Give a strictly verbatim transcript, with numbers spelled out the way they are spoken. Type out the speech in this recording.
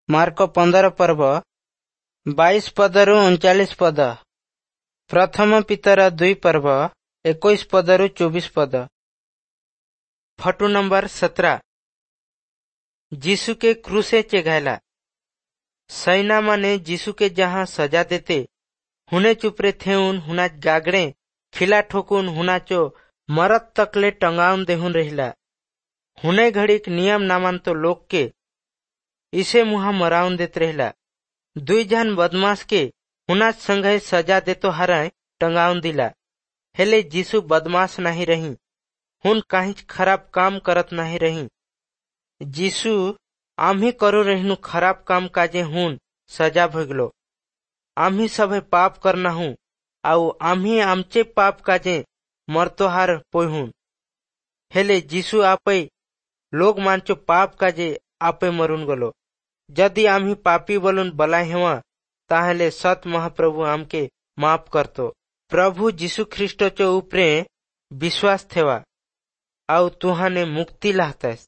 Mark ପନ୍ଦର ପର୍ବ ବାଇଶ ପଦରୁ ଅଣଚାଳିଶ ପଦ। ପ୍ରଥମ ପିତର ଦୁଇ ପର୍ବ ଏକୋଇଶ ପଦରୁ ଚବିଶ ପଦ। Photo number Satara. ଯୀଶୁ के क्रूसे चेघायला। सैना माने यीशु के जहाँ सजा देते हुने चुपरे थेउन हुना गागड़े खिला ठोकुन हुनाचो मरत तकले टंगाउन देहुन रहिला। हुने घड़ीक नियम नामान तो लोग के इसे मुहा मराउन देत रहिला। दुई जन बदमाश के हुना संघे सजा देतो हराय टंगाउन दिला। हेले यीशु बदमाश नहीं रही, हुन काहिच खराब काम करत नहीं रही। यीशु आम्ही करो रहिनु खराब काम काजे हुन सजा भोगलो। आम्ही सभे पाप करना हूँ आउ आम्ही आमचे पाप काजे मरतोहार पोहुन। हेले यीशु आपै लोग मानचो पाप काजे आपे मरुन गलो। यदि आम्ही पापी बोलून बला हेवा ताहले सत महाप्रभु आमके माफ करतो। प्रभु यीशु ख्रीष्टचो उपरे विश्वास थेवा आउ तुहाने मुक्ति लाहतस।